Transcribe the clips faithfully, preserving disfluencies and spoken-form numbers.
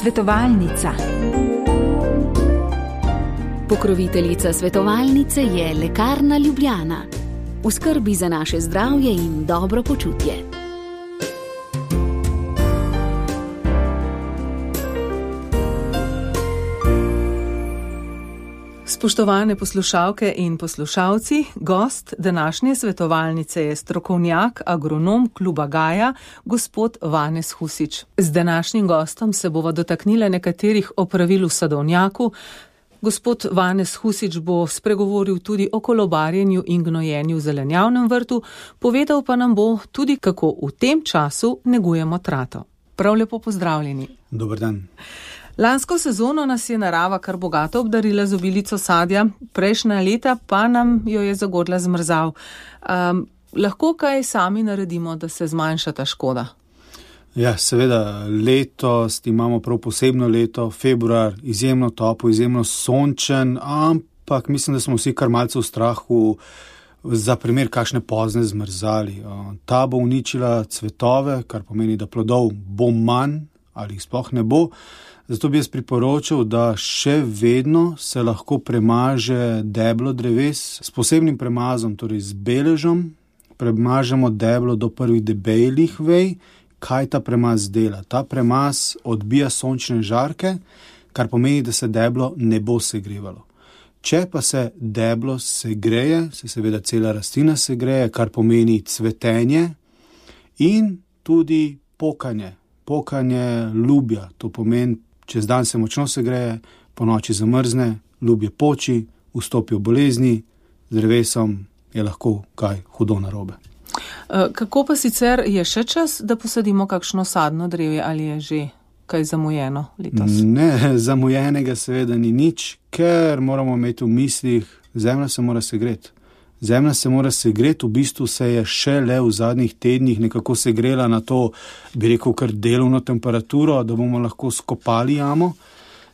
Svetovalnica. Pokroviteljica svetovalnice je Lekarna Ljubljana. V skrbi za naše zdravje in dobro počutje. Spoštovane poslušalke in poslušalci, gost današnje svetovalnice je strokovnjak, agronom Kluba Gaja, gospod Vanez Husič. Z današnjim gostom se bova dotaknila nekaterih opravil v sadovnjaku. Gospod Vanez Husič bo spregovoril tudi o kolobarjenju in gnojenju v zelenjavnem vrtu, povedal pa nam bo tudi, kako v tem času negujemo trato. Prav lepo pozdravljeni. Dober dan. Lansko sezono nas je narava kar bogato obdarila z obilico sadja, prejšnja leta pa nam jo je zagodla zmrzal. Um, lahko kaj sami naredimo, da se zmanjša ta škoda? Ja, seveda, letos imamo prav posebno leto, februar, izjemno topo, izjemno sončen, ampak mislim, da smo vsi kar malce v strahu za primer kakšne pozne zmrzali. Ta bo uničila cvetove, kar pomeni, da plodov bo manj ali jih sploh ne bo. Zato bi jaz priporočil, da še vedno se lahko premaže deblo dreves s posebnim premazom, torej z beležom. Premažemo deblo do prvih debelih vej. Kaj ta premaz dela? Ta premaz odbija sončne žarke, kar pomeni, da se deblo ne bo segrevalo. Če pa se deblo segreje, se seveda cela rastlina segreje, kar pomeni cvetenje in tudi pokanje. Pokanje lubja, to pomeni, čez dan se močno segreje, po noči zamrzne, lubje poči, vstopijo bolezni, z drevesom je lahko kaj hudo narobe. Kako pa sicer je še čas, da posadimo kakšno sadno drevje, ali je že kaj zamujeno letos? Ne, zamujenega seveda ni nič, ker moramo imeti v mislih, zemlja se mora segreti. Zemlja se mora segreti, v bistvu se je šele v zadnjih tednih nekako segrela na to, bi rekel, kar delovno temperaturo, da bomo lahko skopali jamo.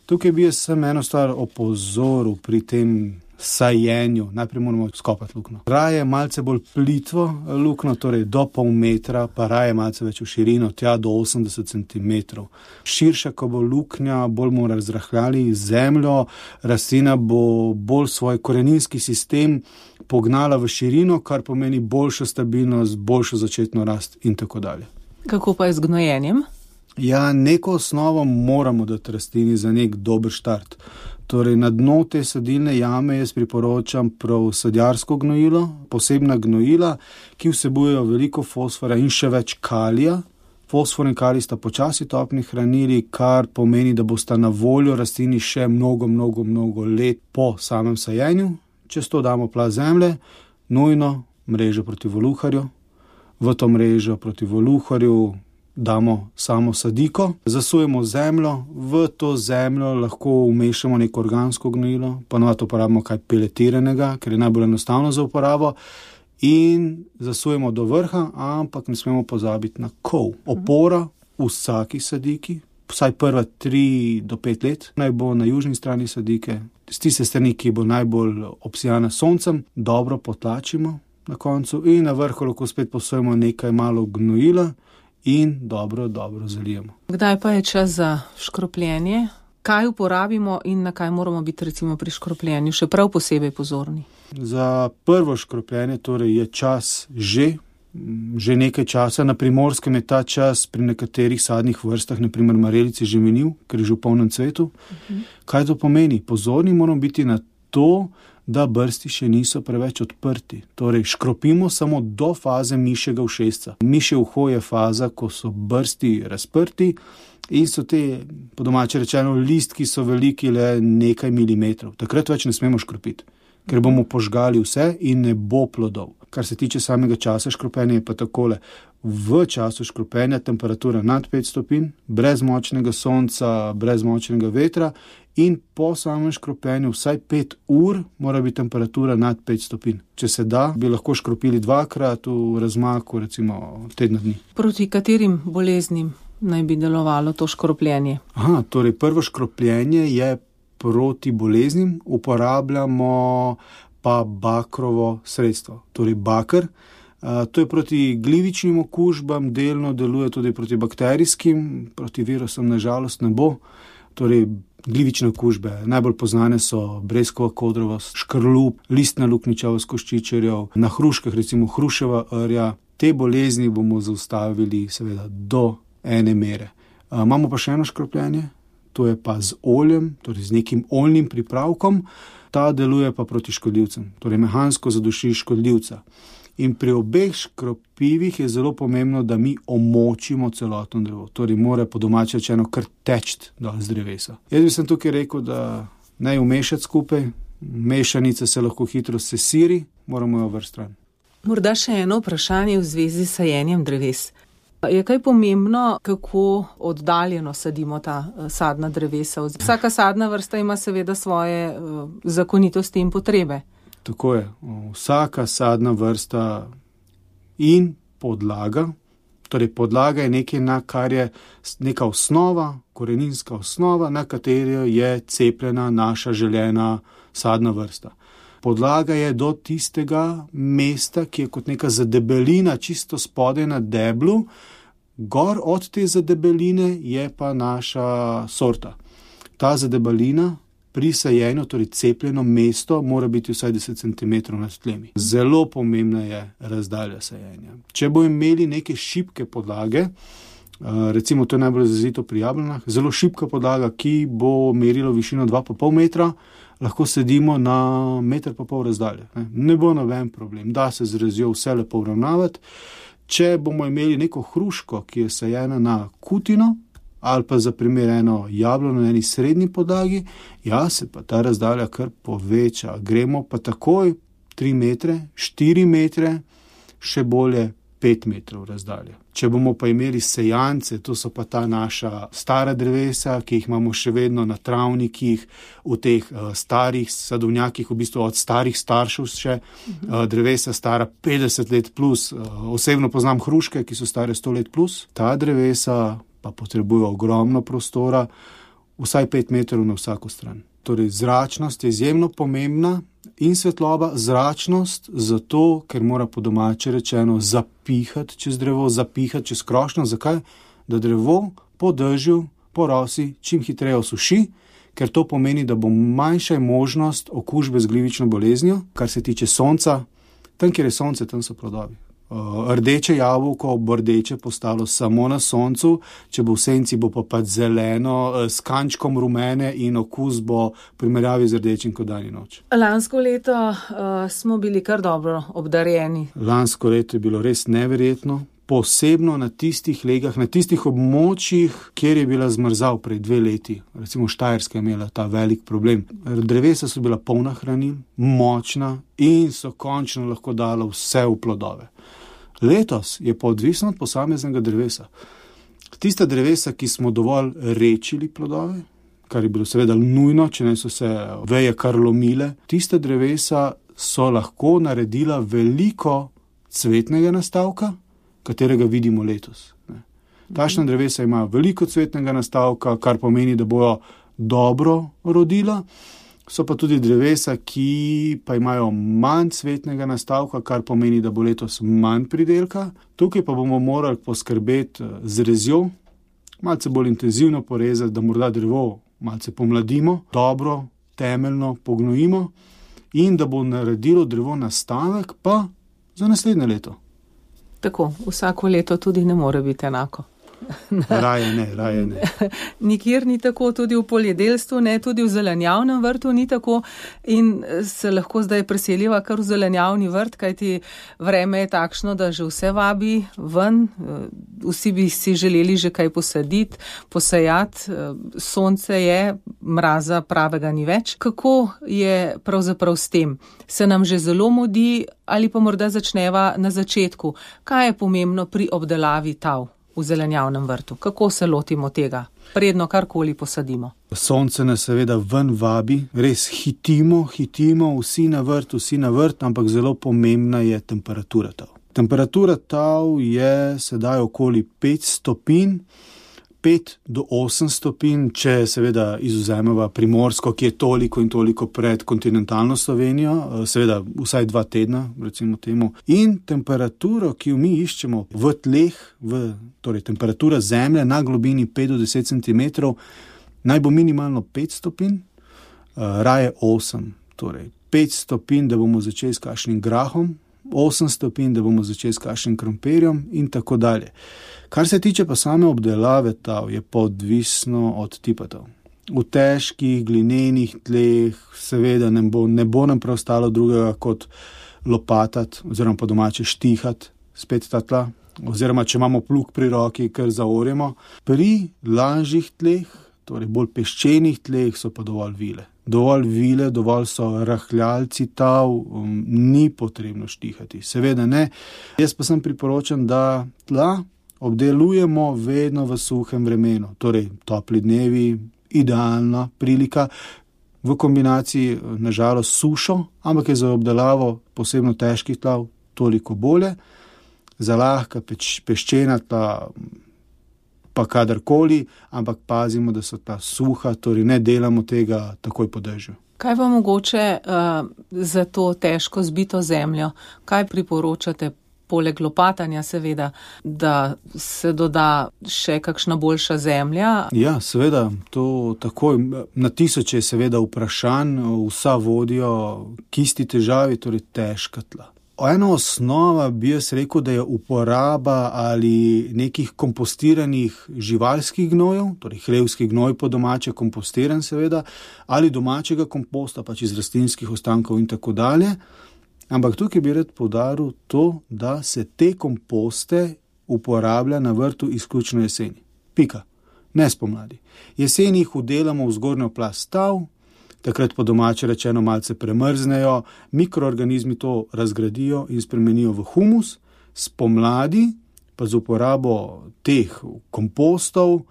Tukaj bi jaz sem eno stvar opozoril pri tem sajenju. Najprej moramo skopati luknjo. Raje malce bolj plitvo luknjo, torej do pol metra, pa raje malce več v širino, tja do osemdeset centimetrov. Širša, ko bo luknja, bolj bomo razrahljali zemljo, rastlina bo bolj svoj koreninski sistem pognala v širino, kar pomeni boljšo stabilnost, boljšo začetno rast in tako dalje. Kako pa je z gnojenjem? Ja, neko osnovo moramo dati rastlini za nek dober štart. Torej, na dno te sadilne jame jaz priporočam prav sadjarsko gnojilo, posebna gnojila, ki vsebujejo veliko fosfora in še več kalija. Fosfor in kalij sta počasi topni hranili, kar pomeni, da bosta na voljo rastlini še mnogo, mnogo, mnogo let po samem sajenju. Čez to damo plast zemlje, nujno mrežo proti voluharju. V to mrežo proti voluharju damo samo sadiko, zasujemo zemljo, v to zemljo lahko vmešamo neko organsko gnojilo, ponovadi uporabimo kaj peletiranega, ker je najbolj enostavno za uporabo, in zasujemo do vrha, ampak ne smemo pozabiti na kov. Opora v vsaki sadiki, vsaj prva tri do pet let, naj bo na južni strani sadike, z tiste strani, ki bo najbolj obsijana soncem, dobro potlačimo na koncu in na vrhu lahko spet posujemo nekaj malo gnojila in dobro, dobro zalijemo. Kdaj pa je čas za škropljenje? Kaj uporabimo in na kaj moramo biti recimo pri škropljenju še prav posebej pozorni? Za prvo škropljenje torej je čas že, že nekaj časa. Na Primorskem je ta čas pri nekaterih sadnih vrstah, naprimer marelici, že minil, ker je že v polnem cvetu. Uh-huh. Kaj to pomeni? Pozorni moramo biti na to, da brsti še niso preveč odprti. Torej, škropimo samo do faze mišjega ušesca. Mišje uho je faza, ko so brsti razprti in so te, po domače rečeno, listki so veliki le nekaj milimetrov. Takrat več ne smemo škropiti, ker bomo požgali vse in ne bo plodov. Kar se tiče samega časa škropenja, je pa takole. V času škropenja temperatura nad pet stopinj, brez močnega sonca, brez močnega vetra, in po samem škropenju vsaj pet ur mora biti temperatura nad pet stopinj. Če se da, bi lahko škropili dvakrat v razmaku, recimo tedna dni. Proti katerim boleznim naj bi delovalo to škropljenje? Aha, torej prvo škropljenje je proti boleznim, uporabljamo pa bakrovo sredstvo. Torej bakr, To je proti glivičnim okužbam, delno deluje tudi proti bakterijskim, proti virusom nažalost ne bo. Torej, glivične okužbe najbolj poznane so breskova kodrovost, škrlup, listna luknjičavost koščičarjev, na hruškah recimo hruševa rja. Te bolezni bomo zaustavili seveda do ene mere. Imamo pa še eno škropljenje, to je pa z oljem, torej z nekim oljnim pripravkom. Ta deluje pa proti škodljivcem, torej mehansko zaduši škodljivca. In pri obeh škropivih je zelo pomembno, da mi omočimo celotno drevo. Torej mora po domače rečeno kar teči dol z drevesa. Jaz bi sem tukaj rekel, da naj umešati skupaj, mešanica se lahko hitro sesiri, moramo jo vrsti stran. Morda še eno vprašanje v zvezi s sajenjem dreves. Je kaj pomembno, kako oddaljeno sadimo ta sadna drevesa? Vsaka sadna vrsta ima seveda svoje zakonitosti in potrebe. Tako je. Vsaka sadna vrsta in podlaga, torej podlaga je nekaj, na kar je neka osnova, koreninska osnova, na katero je cepljena naša želena sadna vrsta. Podlaga je do tistega mesta, ki je kot neka zadebelina čisto spodaj na deblu, gor od te zadebeline je pa naša sorta. Ta zadebelina pri sajenju, torej cepljeno mesto, mora biti vsaj deset centimetrov nad tlemi. Zelo pomembna je razdalja sajenja. Če bo imeli neke šibke podlage, recimo to je najbolj izrazito pri jablanah, zelo šibka podlaga, ki bo merilo višino dva pa pol metra, lahko sedimo na meter pa pol razdalje. Ne, ne bo noben problem, da se z razjo vse lepo uravnavati. Če bomo imeli neko hruško, ki je sajena na kutino, ali pa za primer eno jablano na eni srednji podlagi, ja, se pa ta razdalja kar poveča. Gremo pa takoj tri metre, štiri metre, še bolje pet metrov razdalje. Če bomo pa imeli sejance, to so pa ta naša stara drevesa, ki jih imamo še vedno na travnikih, v teh uh, starih sadovnjakih, v bistvu od starih staršev še, uh, drevesa stara petdeset let plus, uh, osebno poznam hruške, ki so stare sto let plus, ta drevesa pa potrebuje ogromno prostora, vsaj pet metrov na vsako stran. Torej, zračnost je izjemno pomembna in svetloba, zračnost zato, ker mora po domače rečeno zapihati čez drevo, zapihati čez krošnjo. Zakaj? Da drevo po dežju, po rosi čim hitreje osuši, ker to pomeni, da bo manjša možnost okužbe z glivično boleznijo, kar se tiče sonca. Tam, kjer je sonce, tam so plodovi. Rdeče jabolko bo rdeče postalo samo na soncu, če bo v senci, bo pa pač zeleno, s kančkom rumene in okus bo v primerjavi z rdečim kot dan in noč. Lansko leto uh, smo bili kar dobro obdarjeni. Lansko leto je bilo res neverjetno, posebno na tistih legah, na tistih območjih, kjer je bila zmrzav pred dve leti. Recimo Štajerska je imela ta velik problem. Drevesa so bila polna hranil, močna in so končno lahko dala vse v plodove. Letos je pa odvisno od posameznega drevesa. Tista drevesa, ki smo dovolj rečili plodove, kar je bilo seveda nujno, če ne so se veje kar lomile, tista drevesa so lahko naredila veliko cvetnega nastavka, katerega vidimo letos. Takšna drevesa imajo veliko cvetnega nastavka, kar pomeni, da bojo dobro rodila. So pa tudi drevesa, ki pa imajo manj cvetnega nastavka, kar pomeni, da bo letos manj pridelka. Tukaj pa bomo morali poskrbeti z rezjo, malce bolj intenzivno porezati, da morda drevo malce pomladimo, dobro, temeljno pognojimo in da bo naredilo drevo nastavek pa za naslednje leto. Tako, vsako leto tudi ne more biti enako. Raje ne, raje ne. Nikjer ni tako, tudi v poljedelstvu, ne, tudi v zelenjavnem vrtu ni tako in se lahko zdaj preseliva kar v zelenjavni vrt, kajti vreme je takšno, da že vse vabi ven, vsi bi si želeli že kaj posaditi, posajati, sonce je, mraza pravega ni več. Kako je pravzaprav s tem? Se nam že zelo mudi ali pa morda začneva na začetku? Kaj je pomembno pri obdelavi tav v zelenjavnem vrtu? Kako se lotimo tega, predno karkoli posadimo? Sonce nas seveda ven vabi, res hitimo, hitimo, vsi na vrt, vsi na vrt, ampak zelo pomembna je temperatura tav. Temperatura tav je sedaj okoli pet stopinj, pet do osem stopinj, če seveda izvzameva Primorsko, ki je toliko in toliko pred kontinentalno Slovenijo, seveda vsaj dva tedna, recimo temu. In temperaturo, ki jo mi iščemo v tleh, v, torej temperatura zemlje na globini pet do deset centimetrov, naj bo minimalno pet stopinj, raje osem. Torej pet stopinj, da bomo začeli s kakšnim grahom, osem stopinj, da bomo začeli s kakšnim krompirjem in tako dalje. Kar se tiče pa same obdelave tav, je pa odvisno od tipa tav. V težkih, glinenih tleh seveda ne bo, ne bo nam preostalo drugega kot lopatati oziroma po domače štihati spet ta tla, oziroma če imamo plug pri roki, kar zaorjemo. Pri lažjih tleh, torej bolj peščenih tleh, so pa dovolj vile. Dovolj vile, dovolj so rahljalci tav, um, ni potrebno štihati. Seveda ne. Jaz pa sem priporočam, da tla obdelujemo vedno v suhem vremenu, torej topli dnevi, idealna prilika, v kombinaciji nažalost sušo, ampak je za obdelavo posebno težkih tlav toliko bolje, za lahka peč, peščena tla pa kadarkoli, ampak pazimo, da so ta suha, torej ne delamo tega takoj po dežju. Kaj pa mogoče uh, za to težko zbito zemljo? Kaj priporočate? Poleg lopatanja seveda, da se doda še kakšna boljša zemlja? Ja, seveda, to takoj. Na tisoče je seveda vprašanj, vsa vodijo k isti težavi, torej težka tla. Ena osnova bi jaz rekel, da je uporaba ali nekih kompostiranih živalskih gnojev, torej hlevski gnoj po domače kompostiran seveda, ali domačega komposta, pač iz rastlinskih ostankov in tako dalje. Ampak tukaj bi rad poudaril to, da se te komposte uporablja na vrtu izključno jeseni. Pika. Ne spomladi. Jeseni jih vdelamo v zgornjo plast tav, takrat po domače rečeno malce premrznejo, mikroorganizmi to razgradijo in spremenijo v humus, spomladi pa z uporabo teh kompostov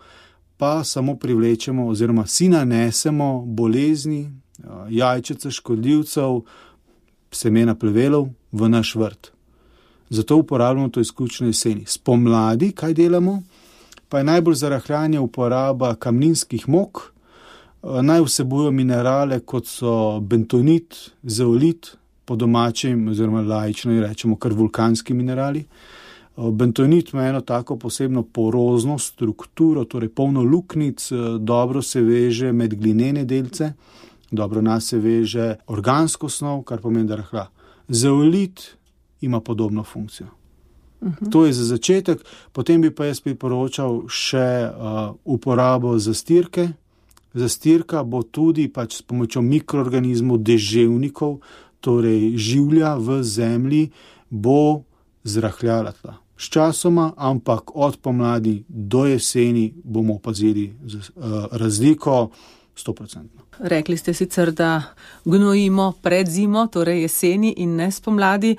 pa samo privlečemo oziroma si nanesemo bolezni, jajčeca škodljivcev, semena plevelov v naš vrt. Zato uporabljamo to izključno jeseni. Spomladi, kaj delamo? Pa je najbolj za rahljanje uporaba kamninskih mok. Naj vsebujejo minerale, kot so bentonit, zeolit, po domačem oziroma laično rečemo kar vulkanski minerali. Bentonit ima eno tako posebno porozno strukturo, torej polno luknic, dobro se veže med glinene delce, dobro nas se veže organsko snov, kar pomeni, da rahlja. Zeolit ima podobno funkcijo. Uh-huh. To je za začetek, potem bi pa jaz priporočal še uh, uporabo zastirke. Zastirka bo tudi pač s pomočjo mikroorganizmov, deževnikov, torej življa v zemlji, bo zrahljala tla. Sčasoma, ampak od pomladi do jeseni bomo opazili uh, razliko sto procentno. Rekli ste sicer, da gnojimo pred zimo, torej jeseni in ne spomladi,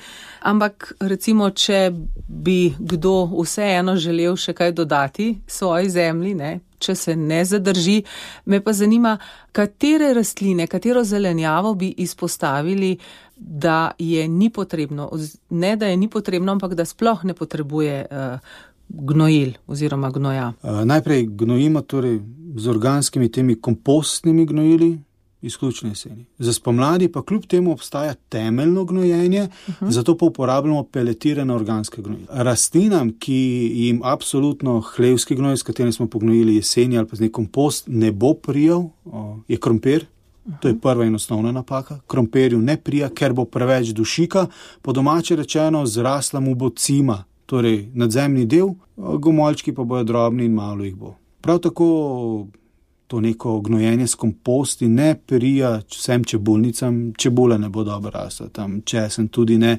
ampak recimo, če bi kdo vseeno želel še kaj dodati svoji zemlji, ne, če se ne zadrži, me pa zanima, katere rastline, katero zelenjavo bi izpostavili, da je ni potrebno, ne da je ni potrebno, ampak da sploh ne potrebuje uh, gnojil oziroma gnoja. Uh, najprej gnojimo torej z organskimi temi kompostnimi gnojili, izključno jeseni. Za spomladi pa kljub temu obstaja temeljno gnojenje, uh-huh. zato pa uporabljamo peletirane organske gnojila. Rastlinam, ki jim absolutno hlevski gnoj, s katerim smo pognojili jeseni ali pa z nek kompost, ne bo prijal, je krompir. Uh-huh. To je prva in osnovna napaka. Krompirju ne prija, ker bo preveč dušika, po domače rečeno zrasla mu bo cima, torej nadzemni del, gomoljčki pa bojo drobni in malo jih bo. Prav tako to neko gnojenje s komposti ne prija vsem čebulnicam, čebula ne bo dobro rasla, tam česen tudi ne.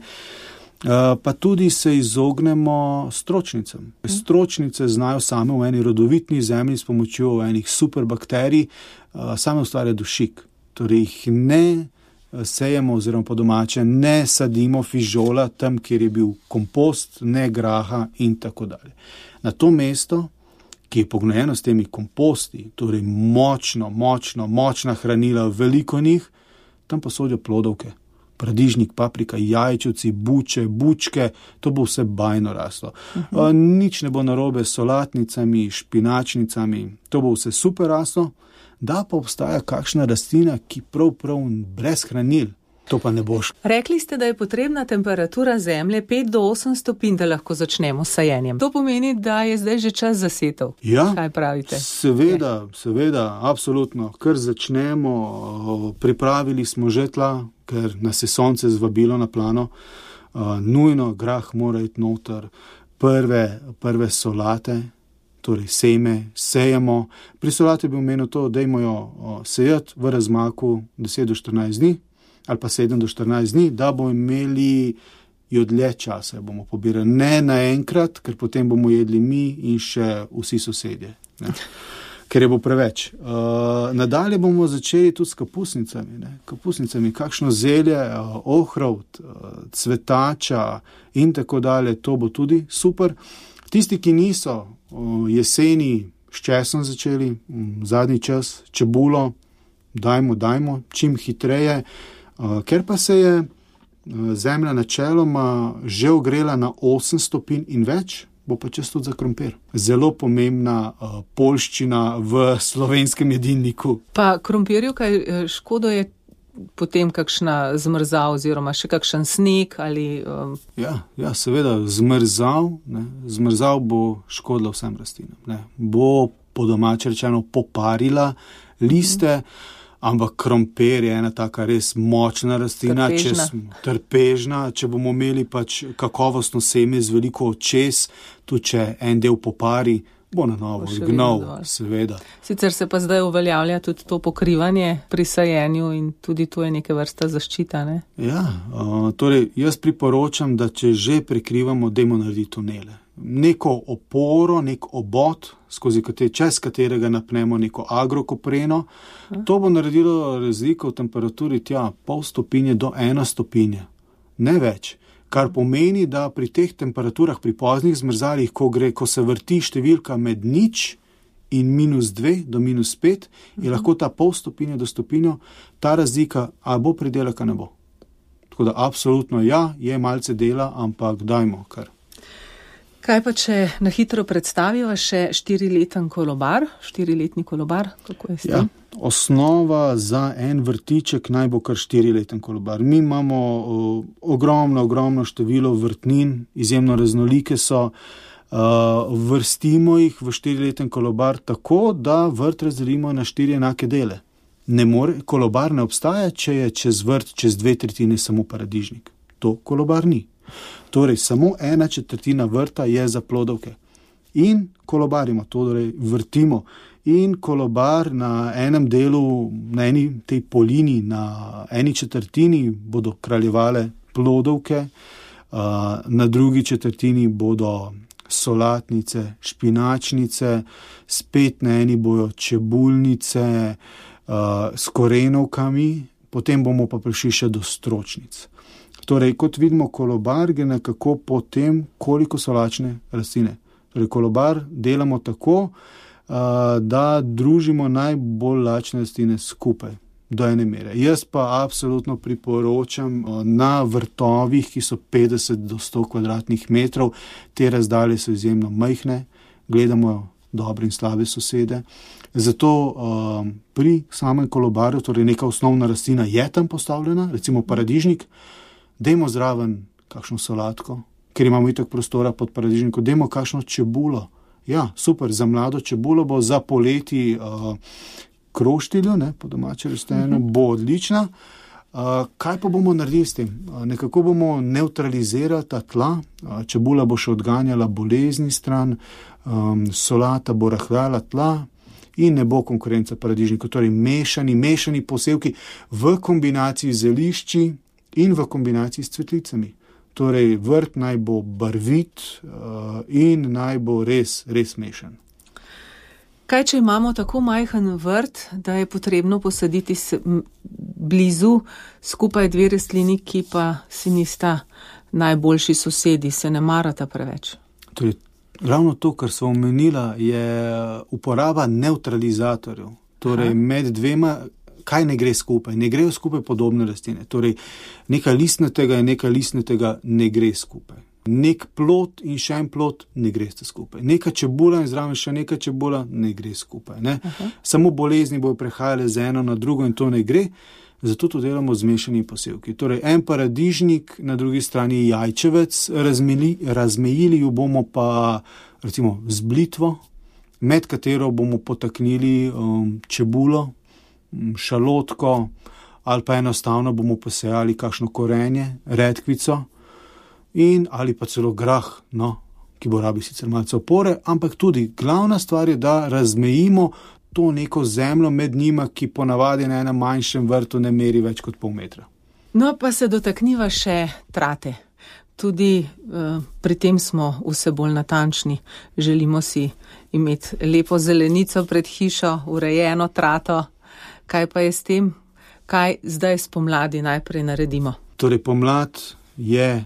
Uh, pa tudi se izognemo stročnicam. Stročnice znajo same v eni rodovitni zemlji s pomočjo enih superbakterij uh, same ustvarja dušik. Torej jih ne sejemo oziroma po domače ne sadimo fižola tam, kjer je bil kompost, ne graha in tako dalje. Na to mesto, ki je pognojeno s temi komposti, torej močno, močno, močna hranila, veliko njih, tam pa sodijo plodovke. paradižnik, paprika, jajčevci, buče, bučke, to bo vse bajno raslo. Uh-huh. Nič ne bo narobe s solatnicami, špinačnicami, to bo vse super raslo, da pa obstaja kakšna rastlina, ki prav prav brez hranil. To pa ne boš. Rekli ste, da je potrebna temperatura zemlje pet do osem stopinj, da lahko začnemo s sajenjem. To pomeni, da je zdaj že čas za setev. Ja, kaj pravite? Seveda, seveda, absolutno. Ker začnemo, pripravili smo že tla, ker nas je sonce zvabilo na plano, uh, nujno grah mora iti noter, prve, prve solate, torej seme, sejemo. Pri solate bi omenil to, dajmo jo uh, sejati v razmaku deset do štirinajst dni, ali pa sedem do štirinajst dni, da bomo imeli jo dlje časa, bomo pobirali. Ne naenkrat, ker potem bomo jedli mi in še vsi sosedje. Ne. Ker je bo preveč. Uh, nadalje bomo začeli tudi s kapusnicami. Ne. Kapusnicami, kakšno zelje, uh, ohrovt, uh, cvetača in tako dalje, to bo tudi super. Tisti, ki niso uh, jeseni s česom začeli, um, zadnji čas, čebulo, dajmo, dajmo, čim hitreje. Uh, ker pa se je uh, zemlja načeloma že ogrela na osem stopinj in več, bo pa čas tudi za krompir. Zelo pomembna uh, poljščina v slovenskem jedilniku. Pa krompirju, kaj škodo je potem kakšna zmrzav oziroma še kakšen sneg ali... Um... Ja, ja, seveda, zmrzav, ne, zmrzav bo škodila vsem rastlinam. Ne. Bo po domače rečeno poparila liste, mm. Ampak krompir je ena taka res močna rastlina, trpežna. Če smo trpežna, če bomo imeli pač kakovostno seme z veliko očes, tudi če en del popari, bo na novo gnov, seveda. Sicer se pa zdaj uveljavlja tudi to pokrivanje pri sajenju in tudi to je neke vrsta zaščita, ne? Ja, uh, torej jaz priporočam, da če že prekrivamo, dajmo narediti tunele. Neko oporo, nek obod, skozi kater, čez katerega napnemo neko agrokopreno. To bo naredilo razliko v temperaturi tja pol stopinje do ena stopinja. Ne več. Kar pomeni, da pri teh temperaturah, pri poznih zmrzalih, ko gre, ko se vrti številka med nič in minus dve do minus pet, je lahko ta pol stopinja do stopinjo, ta razlika, a bo pridelek, a ne bo. Tako da absolutno ja, je malce dela, ampak dajmo kar. Kaj pa, če na hitro predstaviva še štirileten kolobar, štiriletni kolobar, kako je s tem? Ja, osnova za en vrtiček naj bo kar štirileten kolobar. Mi imamo uh, ogromno, ogromno število vrtnin, izjemno raznolike so, uh, vrstimo jih v štirileten kolobar tako, da vrt razdelimo na štiri enake dele. Ne more, kolobar ne obstaja, če je čez vrt, čez dve tretjine samo paradižnik. To kolobar ni. Torej, samo ena četrtina vrta je za plodovke. In kolobarimo, torej vrtimo. In kolobar na enem delu, na eni tej polini, na eni četrtini bodo kraljevale plodovke, na drugi četrtini bodo solatnice, špinačnice, spet na eni bojo čebulnice s korenovkami, potem bomo pa prišli še do stročnic. Torej, kot vidimo, kolobar gre nekako po tem, koliko so lačne rastline. Torej, kolobar delamo tako, da družimo najbolj lačne rastline skupaj, do ene mere. Jaz pa absolutno priporočam na vrtovih, ki so petdeset do sto kvadratnih metrov, te razdalje so izjemno majhne, gledamo dobre in slabe sosede. Zato pri samem kolobaru, torej neka osnovna rastlina je tam postavljena, recimo paradižnik, dajmo zraven kakšno solatko, ker imamo itak prostora pod paradižnikom, dajmo kakšno čebulo. Ja, super, za mlado čebulo bo za poleti uh, kroštiljo, ne, po domače rečeno, uh-huh. bo odlična. Uh, kaj pa bomo naredili s tem? Uh, nekako bomo neutralizirali ta tla, uh, čebula bo še odganjala bolezni stran, um, solata bo rahljala tla in ne bo konkurenca paradižnikov. Torej mešani, mešani posevki v kombinaciji z zelišči in v kombinaciji s cvetlicami. Torej, vrt naj bo barvit uh, in naj bo res, res mešan. Kaj, če imamo tako majhen vrt, da je potrebno posaditi s, m, blizu skupaj dve rastlini, ki pa si nista najboljši sosedi, se ne marata preveč? Torej, ravno to, kar sem omenila, je uporaba neutralizatorjev. Torej, Aha. med dvema kaj ne gre skupaj? Ne grejo skupaj podobne rastline. Torej, nekaj listnatega in nekaj listnatega ne gre skupaj. Nek plod in še en plod ne greste skupaj. Neka čebula in zraven še neka čebula ne gre skupaj. Ne? Samo bolezni bojo prehajale z eno na drugo in to ne gre. Zato to delamo z mešanimi posevki. Torej, en paradižnik, na drugi strani jajčevec, razmeli, razmejili jo bomo pa recimo z blitvo, med katero bomo potaknili um, čebulo, šalotko ali pa enostavno bomo posejali kakšno korenje, redkvico in ali pa celo grah, no, ki bo rabi sicer malce opore, ampak tudi glavna stvar je, da razmejimo to neko zemljo med njima, ki ponavadi na enem manjšem vrtu ne meri več kot pol metra. No, pa se dotakniva še trate. Tudi uh, pri tem smo vse bolj natančni. Želimo si imeti lepo zelenico pred hišo, urejeno trato. Kaj pa je s tem? Kaj zdaj spomladi najprej naredimo? Torej, pomlad je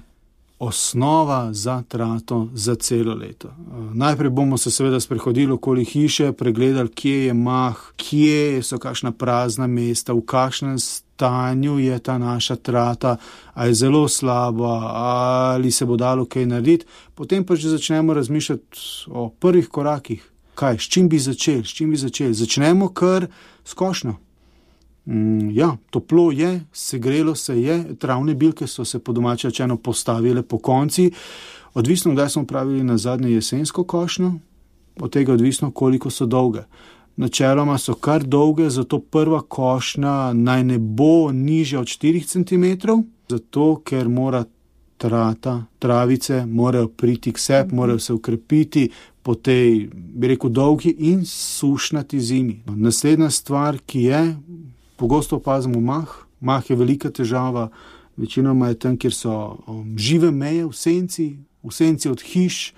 osnova za trato za celo leto. Najprej bomo se seveda sprehodili okoli hiše, pregledali, kje je mah, kje so kakšna prazna mesta, v kakšnem stanju je ta naša trata, a je zelo slaba, ali se bo dalo kaj narediti. Potem pa že začnemo razmišljati o prvih korakih. Kaj, s čim bi začeli, s čim bi začeli? Začnemo kar s košnjo. Mm, ja, toplo je, segrelo se je, travne bilke so se po domače rečeno postavile po konci. Odvisno, kdaj smo pravili na zadnje jesensko košnjo, od tega odvisno, koliko so dolge. Načeloma so kar dolge, zato prva košnja naj ne bo nižja od štirih centimetrov, zato ker mora trata, travice, morajo priti k sebi, morajo se ukrepiti po tej, bi rekel, dolgi in sušnati zimi. Naslednja stvar, ki je, pogosto opazimo mah. Mah je velika težava, večinoma je tam, kjer so um, žive meje v senci, v senci od hiš,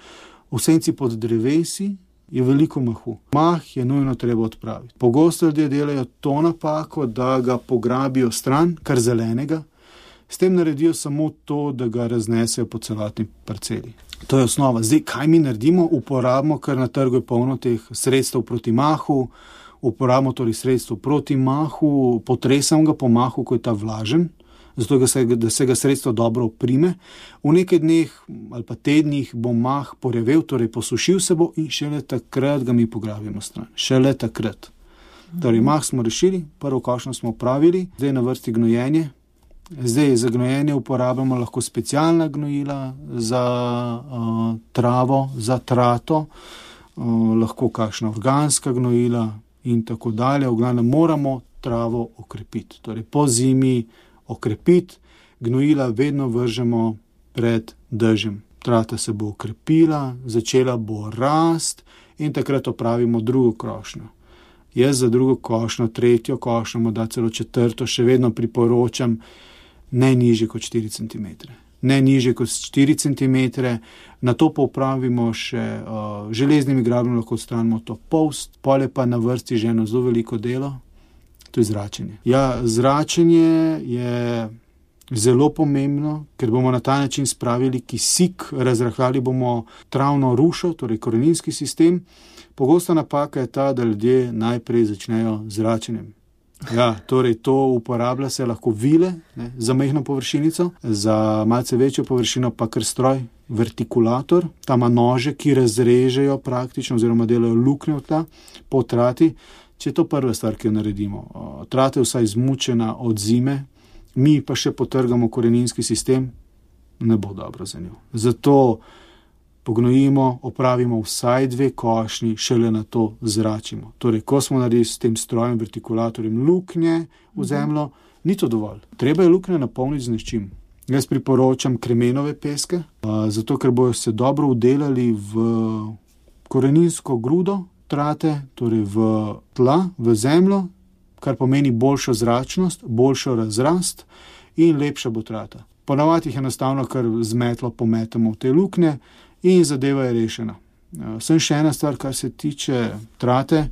v senci pod drevesi, je veliko mahu. Mah je nujno treba odpraviti. Pogosto ljudje delajo to napako, da ga pograbijo stran, kar zelenega, s tem naredijo samo to, da ga raznesejo po celotni parceli. To je osnova. Zdaj, kaj mi naredimo? Uporabimo, ker na trgu je polno teh sredstev proti mahu, uporabimo torej sredstvo proti mahu, potresam ga po mahu, ko je ta vlažen, zato da se, da se ga sredstvo dobro oprime. V nekaj dneh ali pa tednih bo mah porevel, torej posušil se bo in šele takrat ga mi pograbimo stran. Šele takrat. Torej, mah smo rešili, prvo košnjo smo opravili, zdaj na vrsti gnojenje. Zdaj za gnojenje uporabljamo lahko specialna gnojila za uh, travo, za trato, uh, lahko kakšna organska gnojila in tako dalje. V glavnem moramo travo okrepiti. Torej po zimi okrepiti, gnojila vedno vržemo pred dežjem. Trata se bo okrepila, začela bo rast in takrat opravimo drugo košnjo. Jaz za drugo košnjo, tretjo košnjo, morda celo četrto, še vedno priporočam ne nižje kot štiri centimetre. Ne nižje kot štiri centimetre, na to pa upravimo še uh, železnimi grabljem, lahko odstranimo to polst, pol je pa na vrsti že eno zelo veliko delo, to je zračenje. Ja, zračenje je zelo pomembno, ker bomo na ta način spravili kisik, razrahljali bomo travno rušo, torej koreninski sistem. Pogosta napaka je ta, da ljudje najprej začnejo z zračenjem. Ja, torej to uporablja se lahko vile, ne, za majhno površinico, za malce večjo površino pa kar stroj, vertikulator, tam ima nože, ki razrežejo praktično oziroma delajo luknje v tla po trati. Če je to prva stvar, ki jo naredimo. Trata je vsaj zmučena od zime, mi pa še potrgamo koreninski sistem, ne bo dobro za njo. Zato pognojimo, opravimo vsaj dve košnji, šele na to zračimo. Torej, ko smo naredili s tem strojem, vertikulatorjem luknje v zemljo, ni to dovolj. Treba je luknje napolniti z nečim. Jaz priporočam kremenove peske, zato ker bojo se dobro udelali v koreninsko grudo trate, torej v tla, v zemljo, kar pomeni boljšo zračnost, boljšo razrast in lepša bo trata. Ponavadi jih enostavno kar z metlo pometemo v te luknje in zadeva je rešena. Sem še ena stvar, kar se tiče trate,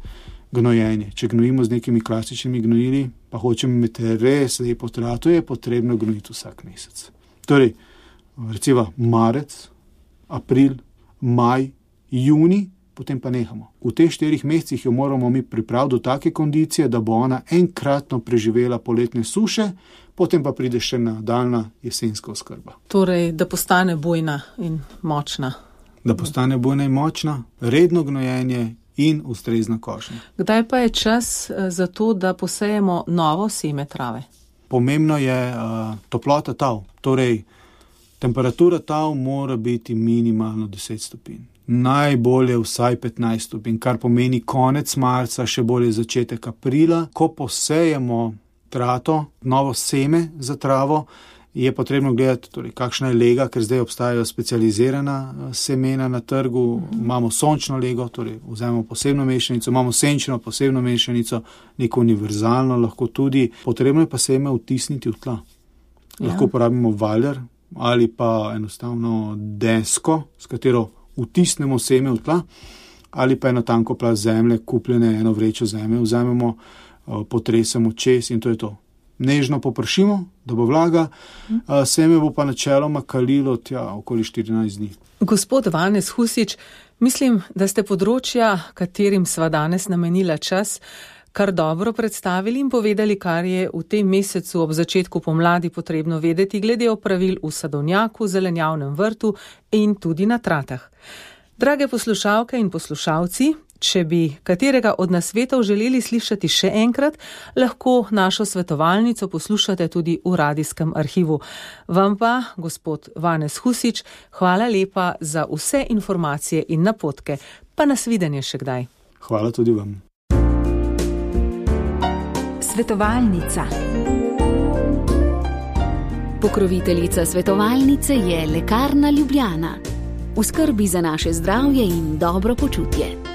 gnojenje. Če gnojimo z nekimi klasičnimi gnojili, pa hočemo imeti res lepo trato, je potrebno gnojiti vsak mesec. Torej, recimo marec, april, maj, juni, potem pa nehamo. V teh štirih mesecih jo moramo mi pripraviti do take kondicije, da bo ona enkratno preživela poletne suše, potem pa pride še nadaljna jesenska oskrba. Torej, da postane bujna in močna. Da postane bujna in močna, redno gnojenje in ustrezna košnja. Kdaj pa je čas za to, da posejemo novo seme trave? Pomembno je uh, toplota tal. Torej, temperatura tal mora biti minimalno deset stopinj. Najbolje vsaj petnajst stopinj, kar pomeni konec marca, še bolje začetek aprila. Ko posejemo trato, novo seme za travo, je potrebno gledati, torej, kakšna je lega, ker zdaj obstajajo specializirana semena na trgu. Imamo sončno lego, torej vzamemo posebno mešanico, imamo senčno posebno mešanico, neko univerzalno lahko tudi. Potrebno je pa seme vtisniti v tla. Ja. Lahko uporabimo valjar ali pa enostavno desko, s katero vtisnemo seme v tla, ali pa eno tanko plast zemlje, kupljene eno vrečo zemlje, vzamemo, potresemo čez in to je to. Nežno popršimo, da bo vlaga, seme bo pa načeloma kalilo tja okoli štirinajst dni. Gospod Vanez Husič, mislim, da ste področja, katerim sva danes namenila čas, kar dobro predstavili in povedali, kar je v tem mesecu ob začetku pomladi potrebno vedeti glede opravil v sadovnjaku, zelenjavnem vrtu in tudi na tratah. Drage poslušalke in poslušalci, če bi katerega od nasvetov želeli slišati še enkrat, lahko našo svetovalnico poslušate tudi v radijskem arhivu. Vam pa, gospod Vanez Husič, hvala lepa za vse informacije in napotke. Pa nasvidenje še kdaj. Hvala tudi vam. Svetovalnica. Pokroviteljica svetovalnice je Lekarna Ljubljana. V skrbi za naše zdravje in dobro počutje.